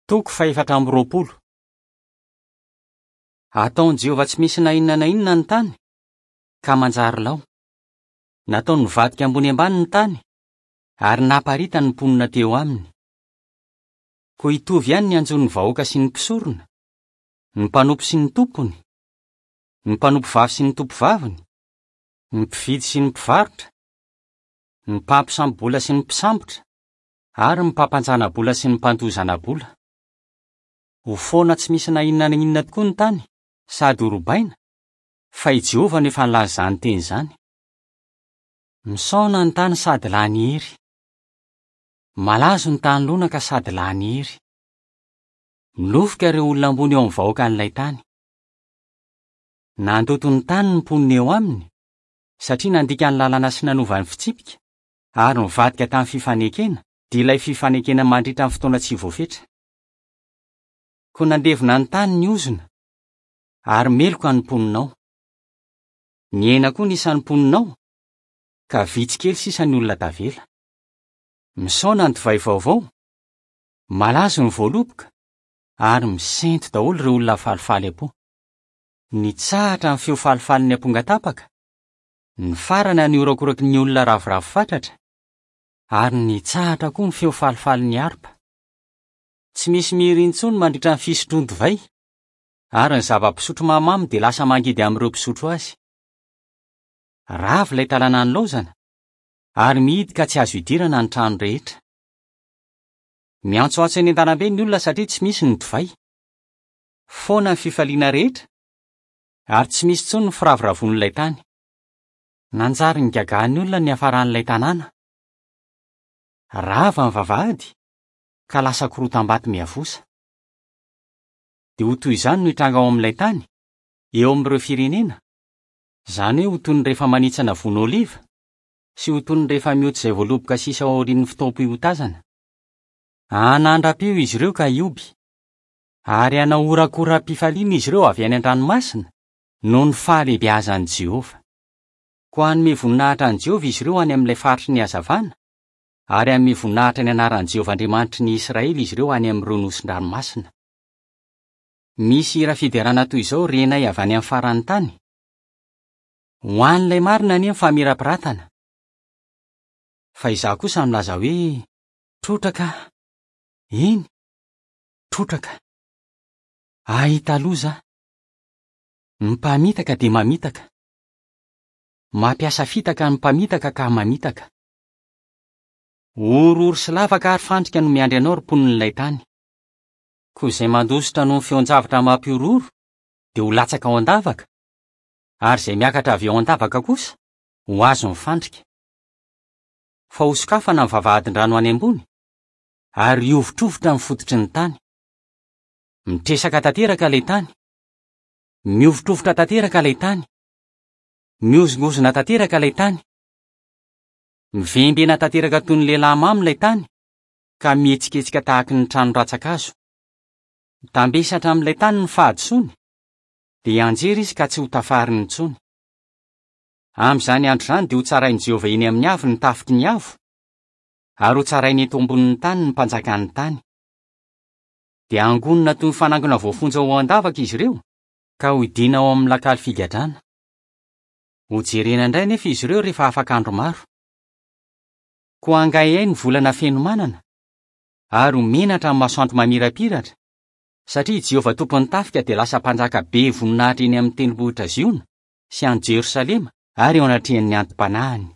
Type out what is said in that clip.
Toko fahefatra amby 20. Ataon'i Jehovah tsy misy na inona na inona ny tany, ka manjary lao. Nataony nivadika ambony ambany ny tany, ary naparitany ny mponina teo aminy. Koa hitovy ihany ny hanjo ny vahoaka sy ny mpisorona, ny mpanompo sy ny tompony, ny mpanompovavy sy ny tompovaviny, ny mpividy sy ny mpivarotra, ny mpampisambo-bola sy ny mpisambotra, ary ny mpampanjana-bola sy ny mpandoa zana-bola. Ho foana tsy misy na inona na inona tokoa ny tany, sady horobaina, fa i Jehovah no efa nilaza izany teny izany. Misaona ny tany sady lany hery. Malazo ny tany lonaka sady lany hery. Milofika ireo olona ambony eo amin'ny vahoakan'ilay tany. Nandoto ny tany ny mponina eo aminy, satria nandika ny lalàna sy nanova ny fitsipika, ary nivadika tamin'ny fifanekena, dia ilay fifanekena mandritra ny fotoana tsy voafetra. Koa nandevona ny tany ny ozona, ary meloka ny mponina ao. Nihena koa ny isan'ny mponina ao, ka vitsy kely sisa ny olona tavela. Misaona ny divay vaovao, malazo ny voaloboka, ary misento daholo ireo olona falifaly am-po. Nitsahatra ny feo falifalin'ny ampongatapaka, nifarana ny horakoraky ny olona ravoravo fatratra, ary nitsahatra koa ny feo falifalin'ny harpa. Tsy misy mihira intsony mandritra ny fisotroan-divay, ary ny zava-pisotro mahamamo dia lasa mangidy amin'ireo mpisotro azy. Rava ilay tanàna nilaozana, ary mihidy ka tsy azo idirana ny trano rehetra. Miantsoantso eny an-dalambe ny olona satria tsy misy ny divay. Foana ny fifaliana rehetra, ary tsy misy intsony ny firavoravoan'ilay tany. Nanjary nigagahan'ny olona ny niafaran'ilay tanàna. Rava ny vavahady, ka lasa korotam-bato miavosa. Dia ho toy izany no hitranga ao amin'ilay tany, eo amin'ireo firenena, izany hoe ho toy ny rehefa manitsana voan'oliva, sy ho toy ny rehefa mioty izay voaloboka sisa ao aorian'ny fotoam-piotazana. Hanandra-peo izy ireo ka hihoby, ary hanao horakoram-pifaliana izy ireo avy any an-dranomasina, noho ny fahalehibeazan'i Jehovah. Koa hanome voninahitra an'i Jehovah izy ireo any amin'ilay faritry ny hazavana, ary hanome voninahitra ny anaran'i Jehovah Andriamanitry ny Israely izy ireo any amin'ireo nosin-dranomasina. Misy hira fiderana toy izao renay avy any amin'ny faran'ny tany, Ho an'ilay marina anie ny famirapiratana! Fa izaho kosa milaza hoe, Trotraka aho! Eny, trotraka! Hahita loza aho! Ny mpamitaka dia mamitaka. Mampiasa fitaka ny mpamitaka ka mamitaka. Horohoro sy lavaka ary fandrika no miandry anao ry mponin'ilay tany. Koa izay mandositra noho ny feon-javatra mampihorohoro dia ho latsaka ao an-davaka, ary izay miakatra avy ao an-davaka kosa ho azon'ny fandrika. Fa hosokafana ny vavahadin-drano any ambony, ary hihovitrovitra ny fototry ny tany. Mitresaka tanteraka ilay tany. Mihovitrovitra tanteraka ilay tany. Mihozongozona tanteraka ilay tany. Mivembena tanteraka toy ny lehilahy mamo ilay tany, ka mihetsiketsika tahaky ny trano rantsan-kazo. Mitambesatra amin'ilay tany ny fahadisoany, dia hianjera izy ka tsy ho tafariny intsony. Amin'izany andro izany dia hotsarain'i Jehovah eny amin'ny avo ny tafiky ny avo, ary hotsarainy eto ambonin'ny tany ny mpanjakan'ny tany. Dia hangonina toy ny fanangona voafonja ho ao an-davaka izy ireo, ka hohidiana ao amin'ny lakaly figadrana. Hojerena indray anefa izy ireo rehefa afaka andro maro. Koa hangaihay ny volana fenomanana, ary ho menatra ny masoandro mamirapiratra, satria i Jehovah Tompon'ny tafika dia lasa Mpanjaka be voninahitra eny amin'ny Tendrombohitra Ziona sy any Jerosalema ary eo anatrehan'ny anti-panahiny.